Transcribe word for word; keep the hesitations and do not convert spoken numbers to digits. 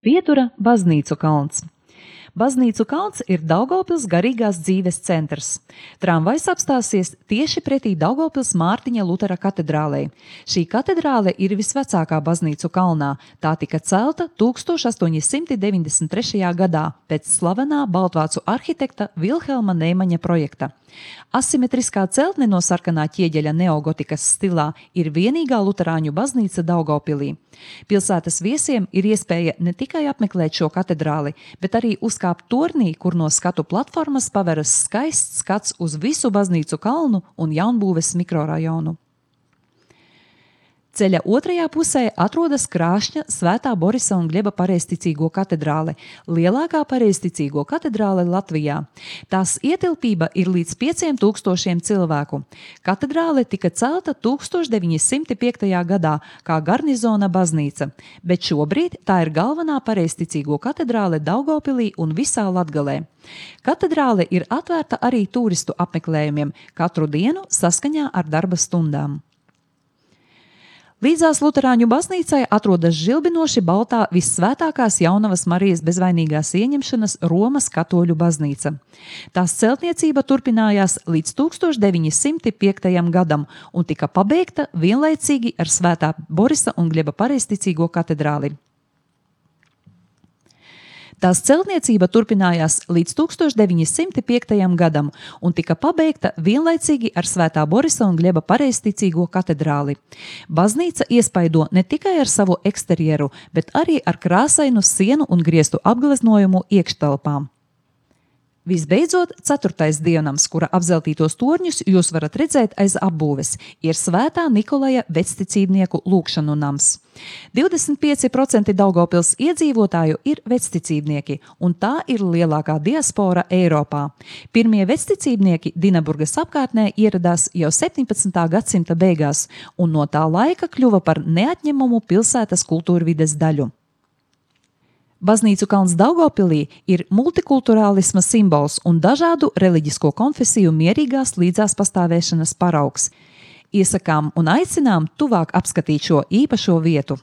Pietura Baznīcu kalns. Baznīcu kalns ir Daugavpils garīgās dzīves centrs. Tramvajs apstāsies tieši pretī Daugavpils Mārtiņa Lutera katedrālei. Šī katedrāle ir visvecākā baznīcu kalnā. Tā tika celta tūkstoš astoņi simti deviņdesmit trešajā gadā pēc slavenā baltvācu arhitekta Vilhelma Neimaņa projekta. Asimetriskā celtne no sarkanā ķieģeļa neogotikas stilā ir vienīgā luterāņu baznīca Daugavpilī. Pilsētas viesiem ir iespēja ne tikai apmeklēt šo katedrāli, bet arī uzkāpt tornī, kur no skatu platformas paveras skaists skats uz visu baznīcu kalnu un jaunbūves mikrorajonu. Ceļa otrajā pusē atrodas Krāšņa Svētā Borisa un Gļeba pareizticīgo katedrāle, lielākā pareizticīgo katedrāle Latvijā. Tās ietilpība ir līdz pieciem tūkstošiem cilvēku. Katedrāle tika celta tūkstoš deviņi simti piektajā gadā kā garnizona baznīca, bet šobrīd tā ir galvenā pareizticīgo katedrāle Daugavpilī un visā Latgalē. Katedrāle ir atvērta arī turistu apmeklējumiem katru dienu saskaņā ar darba stundām. Līdzās luterāņu baznīcai atrodas žilbinoši baltā vissvētākās Jaunavas Marijas bezvainīgās ieņemšanas Romas katoļu baznīca. Tās celtniecība turpinājās līdz tūkstoš deviņi simti piektajam gadam un tika pabeigta vienlaicīgi ar Svētā Borisa un Gļeba pareizticīgo katedrāli. Tās celtniecība turpinājās līdz tūkstoš deviņi simti piektajam gadam un tika pabeigta vienlaicīgi ar Svētā Borisa un Gļeba pareizticīgo katedrāli. Baznīca iespaido ne tikai ar savu eksterjeru, bet arī ar krāsainu sienu un griestu apgleznojumu iekštelpām. Visbeidzot, ceturtais dievnams, kura apzeltītos torņus jūs varat redzēt aiz apbūves, ir Svētā Nikolaja vecticībnieku lūgšanu nams. divdesmit pieci procenti Daugavpils iedzīvotāju ir vecticībnieki, un tā ir lielākā diaspora Eiropā. Pirmie vecticībnieki Dinaburgas apkārtnē ieradās jau septiņpadsmitā gadsimta beigās, un no tā laika kļuva par neatņemumu pilsētas kultūrvides daļu. Baznīcu kalns Daugavpilī ir multikulturālisma simbols un dažādu reliģisko konfesiju mierīgās līdzās pastāvēšanas paraugs. Iesakām un aicinām tuvāk apskatīt šo īpašo vietu.